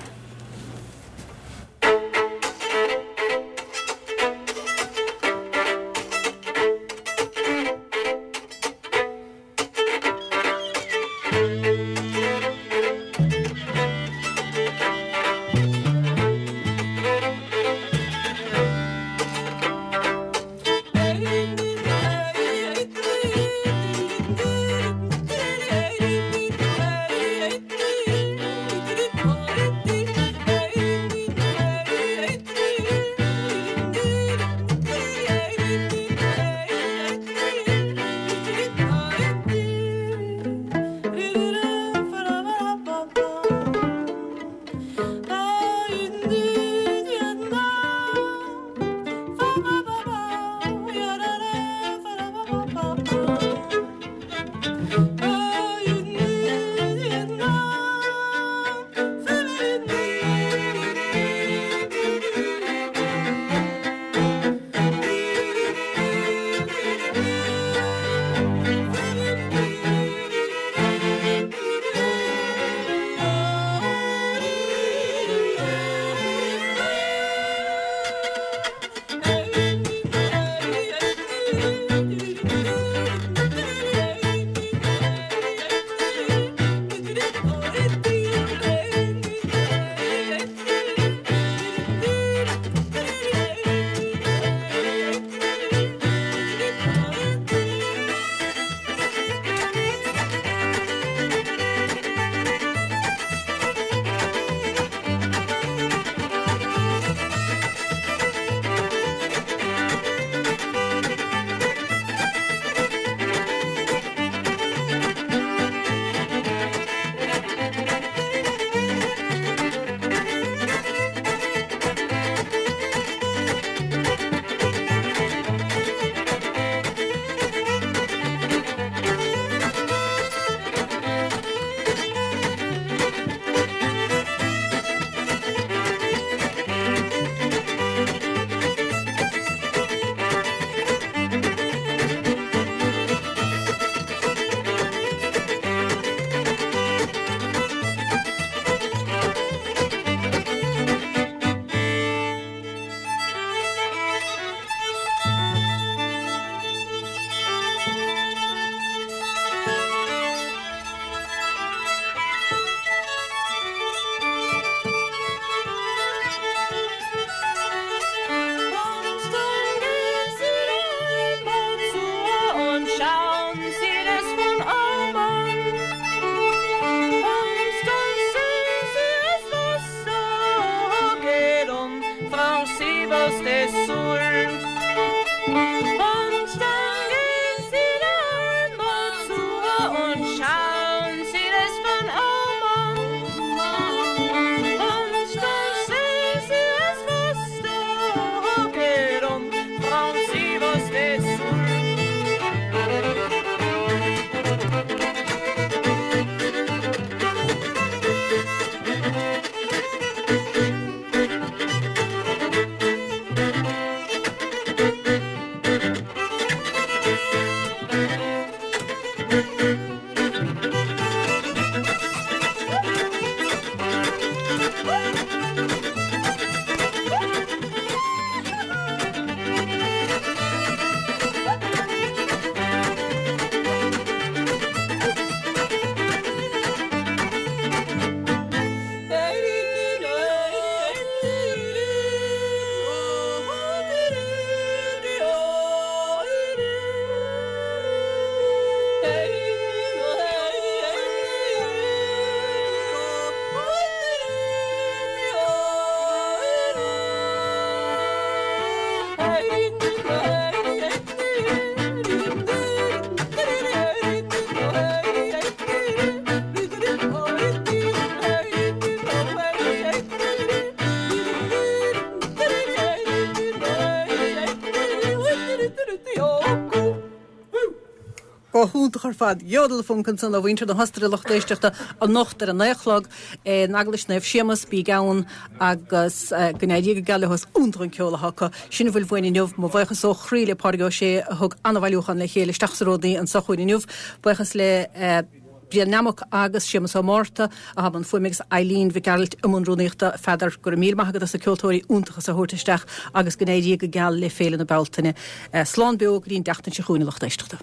Go hiontach ar fad. Jodelfunk ansan ó mhuintir na hOstaire a lucht éisteachta anocht ar a naoi a chlog in Eaglais Naomh Séamus. Bígí ann agus go n-éirí go geal leo. Is iontach an ceol atá acu. Sin a bhfuil uainn inniu. Mo bhuíochas ó chroí le Pádraig Ó Sé a thug an-bhailiúchán le chéile isteach sa Ródaí anso chugainn inniu. Buíochas le Brian Nammock agus Séamus Ó Márta atá i mbun fuaime agus Eileen Mhic Gearailt i mbun rúnaíochta. Pheadar, go raibh míle maith agat as na ceoltóirí iontacha so a thabhairt isteach agus go n-éirí go geal le Féile na Bealtaine. Slán beo go dtí an tseachtain seo chugainn a lucht éisteachta.